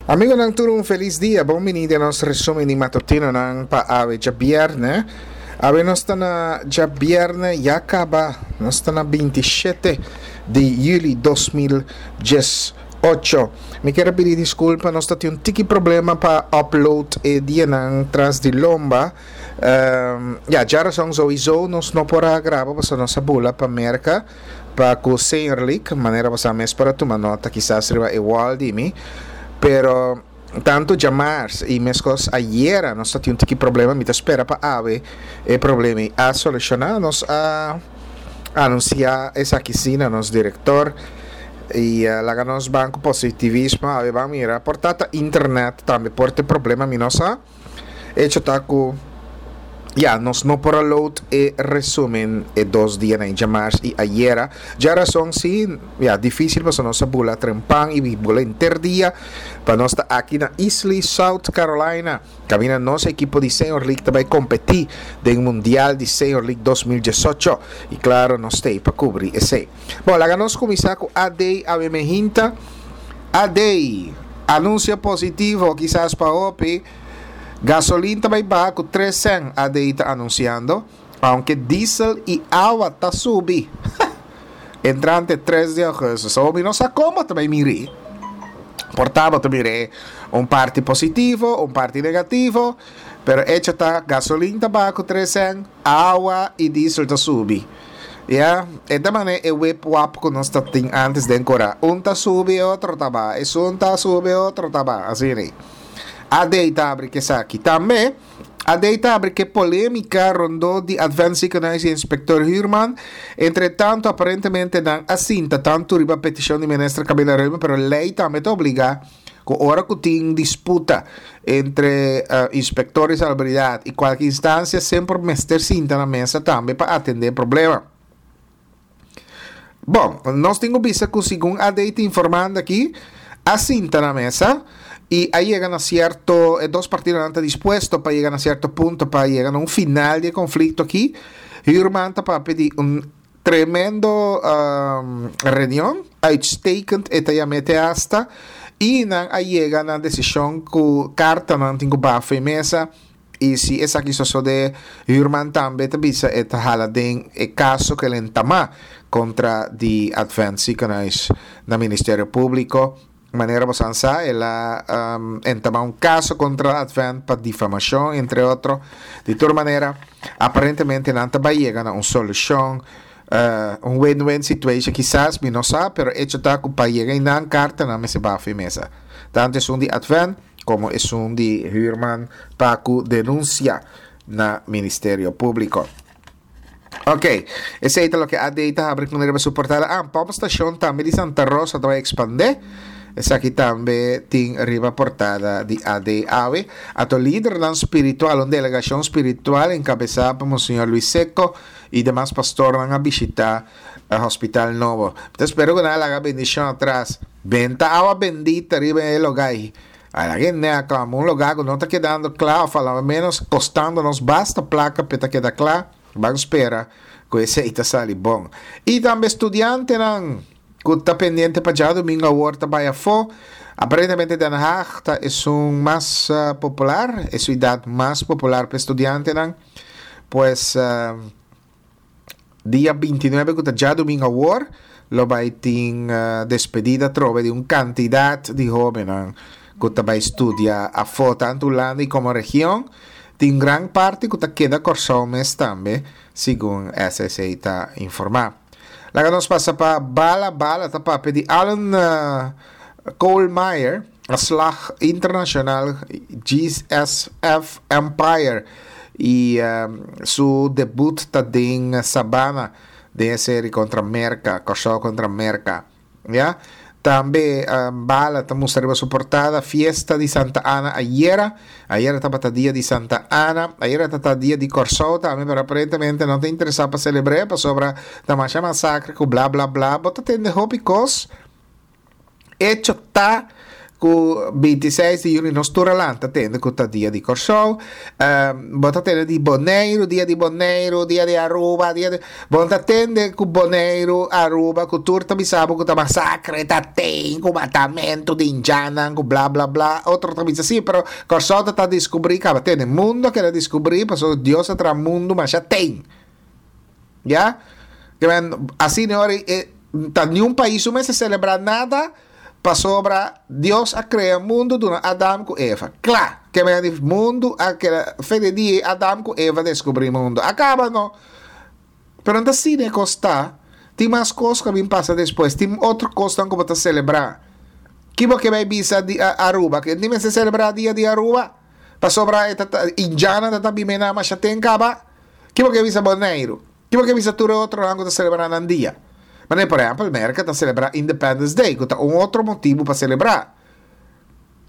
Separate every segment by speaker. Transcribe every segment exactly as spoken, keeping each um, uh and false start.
Speaker 1: Amigonan tur, un felis dia. Bon bini den nos resumen di matutinonan pa awe djabièrnè. Awe nos ta na djabièrnè ya kaba. Nos ta na binti shete di yüli dos mil dies ocho. Mi kier a pidi diskulpa, nos ta tin un tiki problema pa upload e dianan tras di lomba. Um, ya, djarason sowieso nos no por a graba pasobra nos a bula pa Merka pa ku Senior League, manera boso mes por a tuma nota kisas riba e wall di mi. Pero tantu djamars i meskos ayera nos ta tin un tiki problema, mi ta spera pa awe e problema ei a solushoná. Nos a anunsiá esaki sí na nos direktor i laga nos ban ku positivismo, awe ban mira por ta ta internet tambe por ta e problema, mi no sa. Hecho ta ku ya nos no por a load e resumen e dos dianan, djamars i ayera. Djarason si, ya dificil pasobra nos a bula trempan i bula henter dia pa nos ta aki na Easley, South Carolina, kaminda nos ekipo di Senior League ta bai kompetí den Mundial di Senior League dos mil diesocho i klaro nos ta ei pa kubri esei. Bon, laga nos kuminsá ku A D awe mehinta. A D, anunsio positivo kisas pa hopi. Gasolin ta bai baha ku tres sèn, A D I ta anunsiando, aunke diesel i awa ta subi entrante tres di augustus. So mi no sa kon bo ta bai miri. Por ta bo ta mir'é un parti positivo, un parti negativo, pero echo ta gasolin ta baha ku tres sèn, awa i diesel ta subi. Ya, e ta manera e wip wap ku nos ta tin antes den kora. Un ta subi, e otro ta baha. Esun ta subi, e otro ta baha. Asina ei. A D ta abri ke esaki. Tambe, A D ta abri ke polémika rondó di Advent Ziekenhuis i Inspektor Huurman. Entre tanto, aparentemente nan a sinta tantu riba petishon di Minister Camila Reuben, pero lei tambe ta obligá ku ora ku tin disputa entre inspektor di salubridat i kualke instansia, semper mester sinta na mesa tambe pa atendé e problema. Bon, nos tin ku bisa ku segun A D ta informando aki, a sinta na mesa i a yega na sierto, e dos partidonan ta dispuesto pa yega na sierto punto pa yega na un final di e konflikto aki. Huurman ta papia di un tremendo reunion, uitstekend e ta yam'é te hasta, i nan a yega na desishon ku kartanan tin ku baha for e mesa. I si esaki sosodé, Huurman tambe ta bisa e ta hala den e kaso ku el entamá kontra di Advent Ziekenhuis na Ministerio Públiko. Manera bo san sa, el a entamá un kaso kontra Advent pa difamashon, entre otro. Di tur manera, aparentemente nan ta bai yega na un solushon, un win-win situation kisas, mi no sa, pero echo ta ku pa yega einan kartanan mester baha for e mesa. Tantu esun di Advent komo esun di Huurman pa ku denunsia na Ministerio Públiko. Ok, esei ta loke A D ta habri ku riba su portada. Ah, pompstation tambe di Santa Rosa ta bai ekspandé. Esaki tambe tin riba portada di A D awe. Ato lidernan spiritual, un delegashon spiritual enkabesá pa Monseñor Luis Secco i demas pastornan a bishitá hospital nobo. Mi ta spera ku nan a laga bendishon atras. Benta awa bendita riba e lugá ei. A la gente a klama un lugá ku no ta kedando kla òf a lo ménos kostando nos basta plaka p'e ta keda kla. Ban spera ku esei ta sali bon. I tambe studiantenan ku ta pendiente pa djadumingu awor ta bai afó. Aparentemente Den Haag ta esun mas popular, e siudat mas popular pa e studiantenan. Pues dia bintinuebe ku ta djadumingu awor lo bai tin despedida atrobe di un kantidat di hóbennan ku ta bai studia afó, tantu Hulanda i komo region. Tin gran parti ku ta keda Kòrsou mes tambe, segun S S A ta informá. Laga nos pasa pa Bala. Bala ta papia di Alan Kohlmeier, a slag internashonal G S F Empire i su debut ta den Sabana den e seri kontra Merka, Kòrsou kontra Merka. Ya? Tambe Bala ta mustra riba su portada Fiesta di Santa Ana ayera. Ayera tabata dia di Santa Ana. Ayera tabata dia di Kòrsou tambe, pero aparentemente no ta interesá pa selebr'é pasobra ta masha masakre ku bla bla bla. Bo ta tende hopi kos. Echo ta Ku bintiseis di yüli nos tur a lanta tende ku ta dia di Kòrsou. Um, bo ta tende di Boneiru, dia di Boneiru, dia di Aruba, dia di... Bo ta tende ku Boneiru, Aruba, ku tur ta bisa bo ku ta masakre ta ten, ku matamentu di indjannan, ku bla bla bla. Otro ta bisa sí, pero Kòrsou ta ta diskubrí kaba. Tende, mundu a keda diskubrí pasobra Dios a traha mundu masha ten. Ya? Ke men, asina ora e ta niun pais su mester selebrá nada. Pasobra Dios a krea mundu duna Adam ku Eva. Kla! Ke mea di mundu a keda fe di dia Adam ku Eva deskubrí mundu. A kaba no. Pero no ta asina e kos ta. Tin mas kos ku a bin pasa despues. Tin otro kosnan ku bo ta selebrá. Ki bo ke bai bisa di Aruba? Ke tin mester selebrá dia di Aruba? Pasobra e ta ta indjanan ta ta bimena masha ten kaba? Ki bo ke bisa Boneiru? Ki bo ke bisa tur e otronan ku ta selebrá nan dia? Manera por ehèmpel Merka ta selebrá Independence Day ku ta un otro motibu pa selebrá.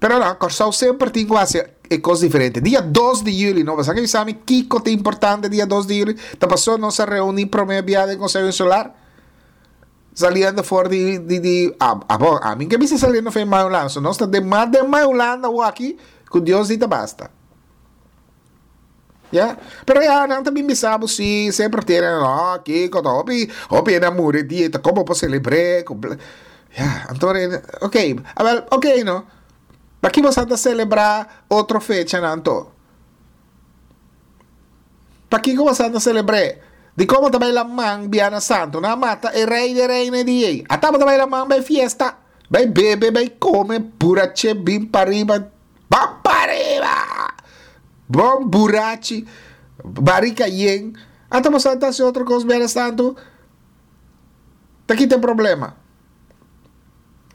Speaker 1: Pero no, Kòrsou semper tin ku hasi e kos diferente. Dia dos di yüli, no bo sa ke bisa mi kiko ta importante dia dos di yüli? Ta pasobra nos a reuní promé bia den Konseho Insular? Saliendo for di di di abo, ami ke bisa saliendo for di Mai Hulanda, so nos ta den mas den Mai Hulanda awor aki ku Dios di ta basta. Ya, pero ya nan ta bin bisa bo si semper tiene no kiko ta hopi hopi hende a muri dia ta como por celebre ku ya anto ok awel ok no paki bo sa ta celebra otro fecha nan anto pakiko bo sa ta celebre di como ta bai laman biana santo nan a mata e rey de reina e dia ei ata bo ta bai laman bai fiesta bai bebe bai come burache bin pariba Ban pariba! Bon burachi, barika yen. Ata bo sa ta hasi otro kos mientras tanto? Ta kita e problema?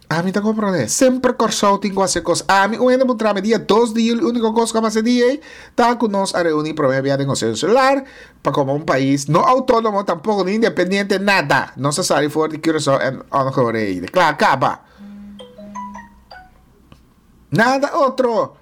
Speaker 1: Ami ta komprondé. Semper Kòrsou tin ku hasi kos. Ami un hende puntra mi dia dos di juli úniko kos ku a pasa e dia ei ta ku nos a reuní promé bia den Konseho Insular pa komo un pais no outónomo tampoko ni independiente nada. Nos a sali for di Curaçao en Ongereide. Kla kaba. Nada otro.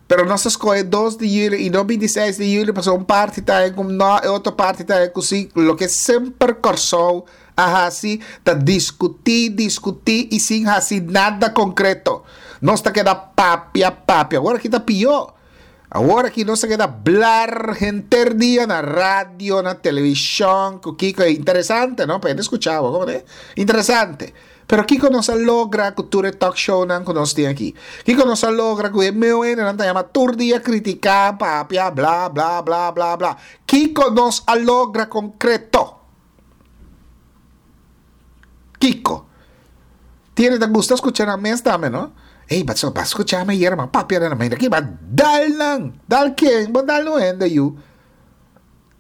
Speaker 1: Pero nos a scoge dos di juli y no bintiseis di juli pasobra un parti ta haña cu no, e otro parti ta haña cu si. Loke semper Corsou a haci ta discuti, discuti y sin haci nada concreto. Nos ta keda papia, papia. Awor aki ta pio. Awor aki nos ta keda blar henter dia na radio, na television, cu kico. Interesante, no? Pa hende scucha bo, como te? Interesante. Pero kiko nos a logra ku tur e talk shownan ku nos tin aki? Kiko nos a logra ku e meu hendenan ta yama tur dia kritiká, papia, bla, bla, bla, bla, bla? Kiko nos a logra konkreto? Kiko? Tin hende ta gusta skucha nan mes tambe, no? Ey, ba ba skucha mi ayer, ma papia den nan. Ma hende aki ba dal nan! Dal ken? Bo dal un hende yu.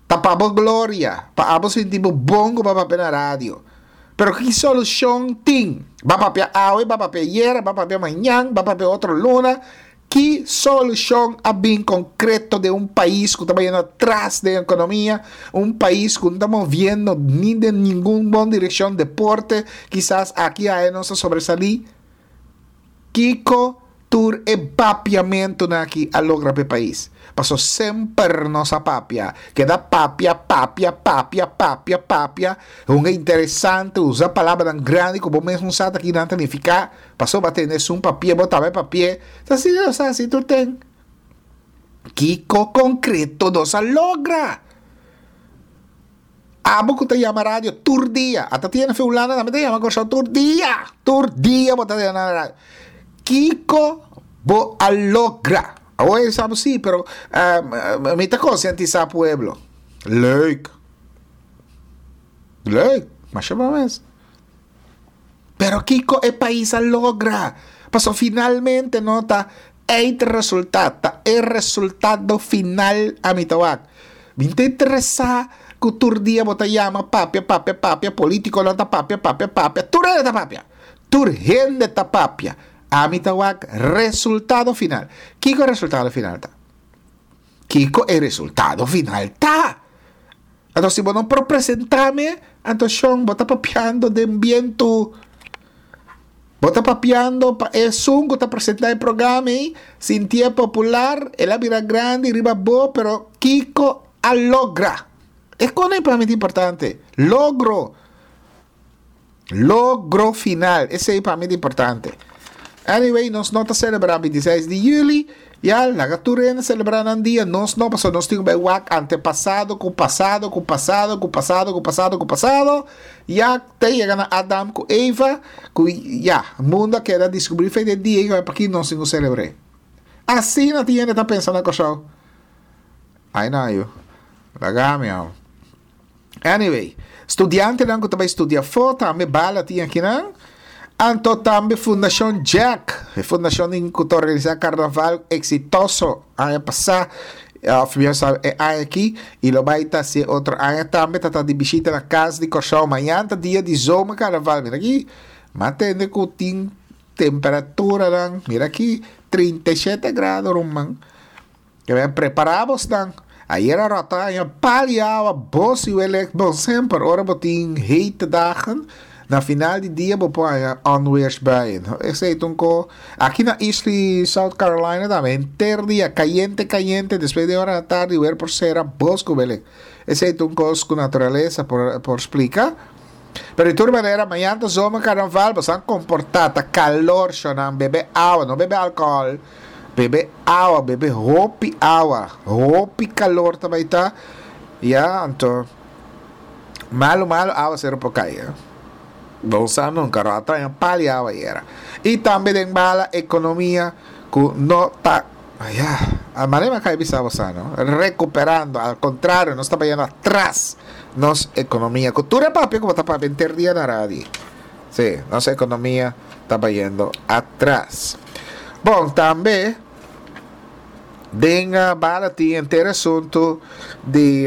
Speaker 1: Ta pa bo gloria, pa abo sinti bo bon ku bo a papia na radio. Pero ki solushon tin? Bo a papia awe, bo a papia ayera, bo a papia mañan, bo a papia otro luna. Ki solushon a bin konkreto den un pais ku ta bayendo atras den ekonomia, un pais ku no ta moviendo ni den ningun bon direkshon, deporte kisas aki aya nos a sobresalí? Kiko tur e papiamentunan aki a logra pa e pais? Paso semper nos a papia, keda papia, papia, papia, papia, papia, hunga interesante, usa palabranan grandi ku bo mes no sa ta kinan ta nifiká, paso bo a tende esun papia, bo tambe papia, ta asina nos a hasi tur ten. Kiko konkreto nos a logra? Abo ku ta yama radio tur dia, ata tiene fe Hulanda tambe ta yama Kòrsou tur dia, tur dia bo ta yama na radio. Kiko bo a logra? Awor e sa bo si, pero mi ta konsientisá pueblo. Leuk. Leuk, masha bon mes. Pero kiko e pais a logra? Pasobra finalmente no ta eindresultaat, ta e resultado final ami ta wak. Mi ta interesá ku tur dia bo ta yama papia, papia, papia, politikonan ta papia, papia, papia, tur hende ta papia. Tur hende ta papia. Ami ta wak resultado final. Kiko e resultado final ta? Kiko e resultado final ta? Anto si bo no por presentá mi, anto shon bo ta papiando den bientu. Bo ta papiando pa esun ku ta presentá e programa ei sintié popular, el a bira grandi riba bo, pero kiko a logra? E kos ei pa mi ta importante. Logro. Logro final. Esei pa mi ta importante. Anyway, nos no ta selebrá bintiseis di yüli, ya, laga tur hende selebrá nan dia, nos no, pasobra nos tin ku bai wak antepasado ku pasado ku pasado ku pasado ku pasado ku pasado, ya, te yega na Adam ku Eva, ku ya, mundu a keda diskubrí fe di e dia ei, p'aki nos tin ku selebr'é? Asina tin hende ta pensa na Kòrsou. Ai na yu. Laga mi awo. Anyway, studiantenan ku ta bai studia afó tambe bala tin akinan. Anto tambe Fundashon Jack, e fundashon din ku ta organisá karnaval eksitoso aña pasá, òf mihó sa e aña aki, i lo bai ta hasi otro aña tambe, ta ta di bishita na Kas di Kòrsou. Mañan ta dia di zomerkarnaval. Mira aki, m'a tende ku tin temperaturanan, mira aki, trinta i shete grado ruman. Ke men prepará bosnan. Ayer a ròt aña pal i awa, bos i welek. Bon, semper ora bo tin hete dagen, na final di dia bo por haña onweersbuien. Esei ta un ko. Aki na Eastleigh, South Carolina tambe, henter dia kayente kayente, despues di ora na tardi wer por sera bos ku welek. Esei ta un kos ku naturalesa por por splika. Pero di tur manera, mañan ta zomer karnaval, boso a komportá, ta kalor shonnan, bebe awa, no bebe alkohòl. Bebe awa, bebe hopi awa, hopi calor ta bay ta, ya, anto malo malo awacero por cay, eh. Bo sa nunca, rata en pali awa yera. Y tambe den bala economia cu no ta, ya, a manera mi a cay bisa bo sa, no, recuperando, al contrario, nos ta bayendo atras nos economia, cu tur e papia cu bo ta papia enter dia na radio. Sí, nos economia ta bayendo atras. Bon, tambe den bala tin henter asuntu di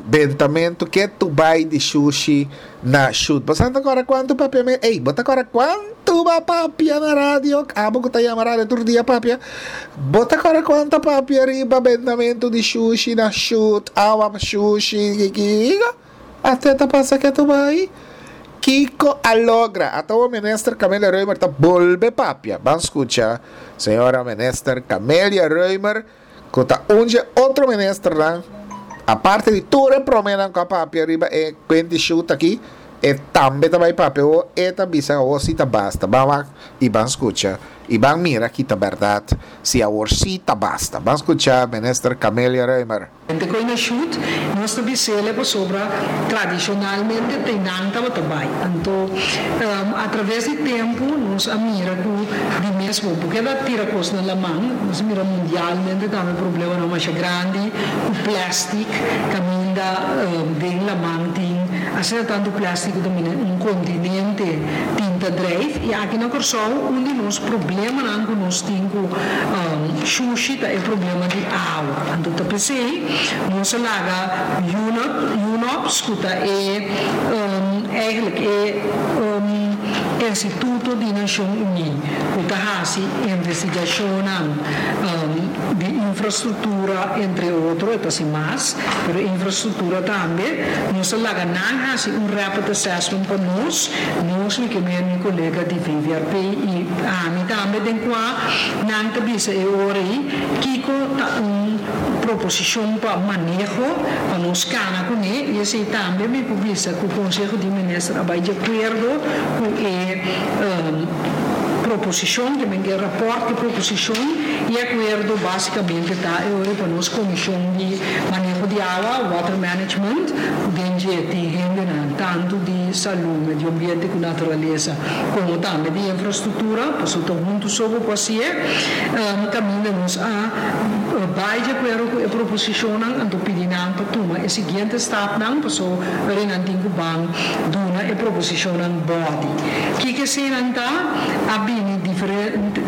Speaker 1: bentamentu ke tu bai di shushi na shut. Bo sa ta kòrda kuantu papia mi, ey, bo ta kòrda kuantu ba papia na radio? Abo ku ta yama radio tur dia papia. Bo ta kòrda kuantu papia riba bentamentu di shushi na shut, awa shushi, kiko? Ate ta pasa ke tu bai? Kiko a logra? Ata awor Minister Camelia Römer ta bolbe papia. Ban scucha Señora Minister Camelia Römer cu ta un dje otro ministernan, aparte di tur e promenan cu a papia riba e cuenti shoot aki, e tambe ta bay papia awor, e ta bisa awor si ta basta. Ban wak y ban scucha y ban mira ki ta berdad si awor si ta basta. Ban scucha Minister Camelia Römer.
Speaker 2: Hende koe na shut, nos ta bis'ele pasobra tradishonalmente te nan tabata bai. Anto, atraves di tempu nos a mira ku di mes bo por keda tira kos na laman. Nos a mira mundialmente tambe problemanan masha grandi ku plèstik kaminda den laman tin asina tantu plèstik ku ta mira un kontinente tin ta drijf. I aki na Kòrsou un di nos problemanan ku nos tin ku shushi ta e problema di awa. Anto ta p'esei nos a laga UNOPS, ku ta e eigenlijk e instituto di Nashon Uní ku ta hasi investigashonnan di infrastruktura entre otro, e ta hasi mas, pero infrastruktura tambe, nos a laga nan hasi un rapid assessment pa nos, nos mi ke men mi kolega di V V R P i ami tambe, den kua nan ta bisa e ora ei kiko ta un proposishon pa maneho pa nos kana kuné. I esei tambe mi por bisa ku Konseho di Minister a bai di akuerdo ku e proposishon, ke men ke rapòrt ku proposishon, i akuerdo básikamente ta e ora pa nos komishon di maneho di awa, water management, ku den dje tin hendenan tantu di salú, medio ambiente ku naturalesa, komo tambe di infrastruktura, pasobra ta huntu so bo por hasié, kaminda nos a bai di akuerdo ku e proposishonnan, anto pidi nan pa tuma e siguiente stapnan, paso ora nan tin ku ban duna e proposishonnan bòdi. Kiko eseinan ta? A bini diferente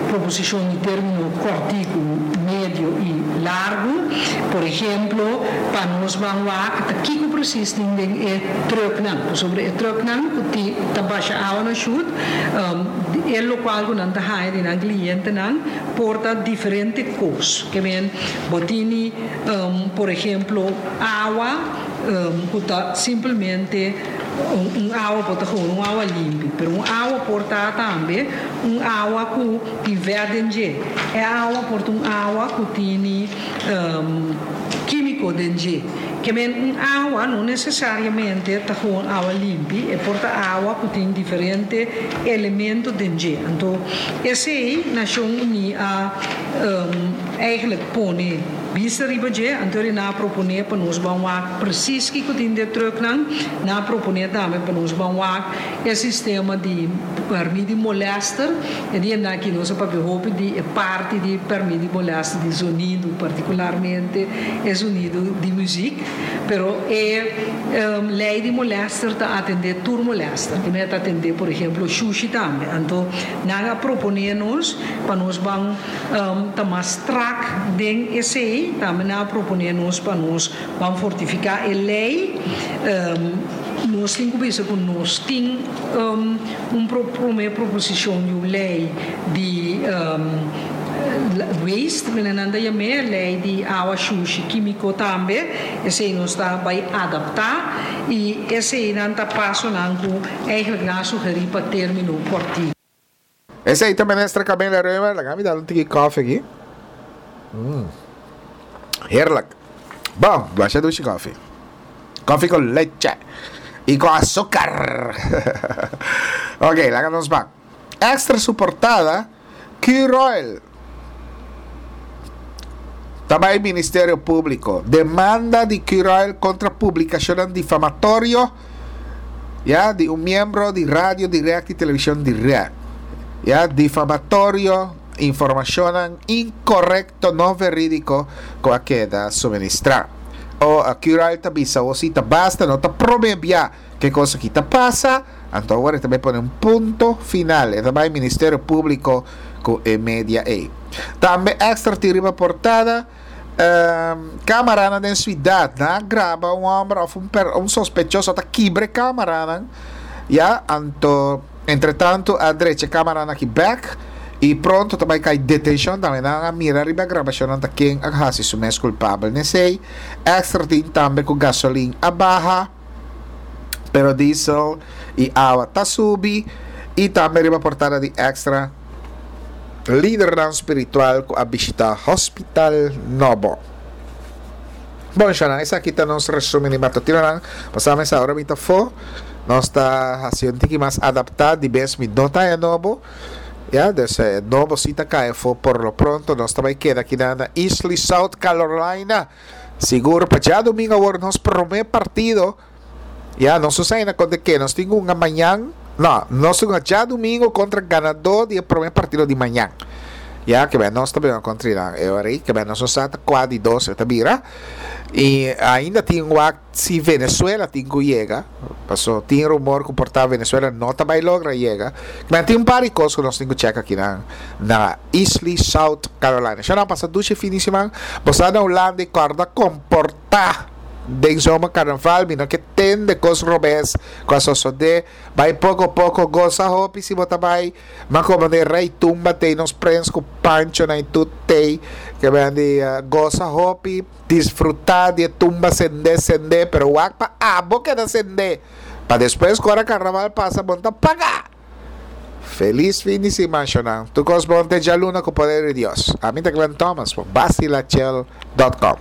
Speaker 2: proposishon di término kòrtiku, medio i largu. Por ehemplo, pa nos ban wak ta kiko presis tin den e trùknan, pasobra e trùknan ku tin ta basha awa na shut, e lokual ku nan ta haña di nan klientenan por ta diferente kos. Ke men bo tini, por ehemplo, awa ku ta simplemente un awa por ta gewoon un awa limpi, pero un awa por ta tambe un awa ku tin vèt den dje. E awa por ta un awa ku tini kímiko den dje. Ke men un awa no nesesariamente ta gewoon awa limpi, e por ta awa ku tin diferente elemento den dje. Anto, esei Nashon Uní a um, eigenlijk pone bista riba dje, anto nan a proponé pa nos ban wak precies kiko tin den trucknan, nan a proponé tambe pa nos ban wak e sistema di pèrmit di molèster, e dia aki nos a papia hopi di e parti di pèrmit di molèster di zonido, partikularmente e zonido di muzik, pero e um, lei di molèster ta atendé tur molèster, ku ta atendé, por ehèmpel, shushi tambe. Anto, nan a proponé nos pa nos ban um, ta mas strak den esei, tambe nan a proponé nos pa nos ban fortifiká e lei, um, nos tin ku bisa ku nos tin um, un pro, promé proposishon di un lei di um, waste, nan ta yam'é lei di awa shushi kímiko tambe, esei nos ta bai adaptá i eseinan ta pasonan ku eigenlijk nan a sugerí pa término kòrtiku.
Speaker 1: Esei ta minister Camelia Römer, laga mi dal un tiki koffie aki. Mm. Heerlijk. Bon, masha dushi koffie. Koffie ku leche i ku azúcar. Ok, laga nos ban. Extra su portada, Curoil. Tambe Ministerio Públiko. Demanda di Curoil kontra publikashon difamatorio, ya, di un miembro di Radio Direct i Televishon Direct. Ya, difamatorio, informashon inkorekto, no verídiko, ku a keda suministrá. O a Curoil ta bisa, o si ta basta, no ta promé bia ku kos aki ta pasa, anto awor tambe pone un punto final. E tambe Ministerio Públiko ku e media ei. Tambe Extra tin riba portada, um, kámara den siudat, nan a graba un hòmber òf un, per, un sospechoso ta kibra kámara, ya, anto, entre tantu, a drecha kámara aki bèk i pronto tambe kai detenshon, tambe nan a mira riba grabashon ta ken a hasi su mes kulpabel. Nesei, Extra tin tambe ku gasolin a baha, pero diesel i awa ta subi, i tambe riba portada di Extra, lider spiritual ku a bishitá hospital nobo. Bon, Shana, esaki ta nos resúmen di matutino. Pasamos awor mi fo. Nos ta hasiendo un mas adaptá di bes mi no ta nobo. Ya, dus eh, nobo si ta kai fo por lo pronto. Nos tambe keda aki na Easley, South Carolina. Sigur, pa djadumingu awor nos promé partido. Ya, nos sa kontra ken. Nos tin un mañan. No, nos tin djadumingu kontra ganadó di promé partido di mañan. Ya, ke ben, nos tambe kontra e ora, ke ben, nos sa kua di dos ta bira. I ainda tin si Venezuela tin ku yega. Pasó tin rumor ku por ta Venezuela no ta bai logra yega. Ma tin un par di kos ku nos tin ku check aki na na Easley, South Carolina. Ya nan pasa dushi fin di siman. Bo na Hulanda, kòrda komportá den zomercarnaval, mi no ke tende kos robes ku a sosodé. Bai poko poko, gosa hopi si bo ta bai, ma komo de rei tumba tei, nos prens ku pancho na tut tei, ke ben di uh, gosa hopi, disfrutá di tumba sende sende, pero wak pa abo keda sende. Pa despues, ora karnaval pasa, bo n' ta paga. Felis fin di siman, shonnan. Tur kos bon te djaluna ku poder di Dios. Ami ta Glenn Thomas, basilachel punto com.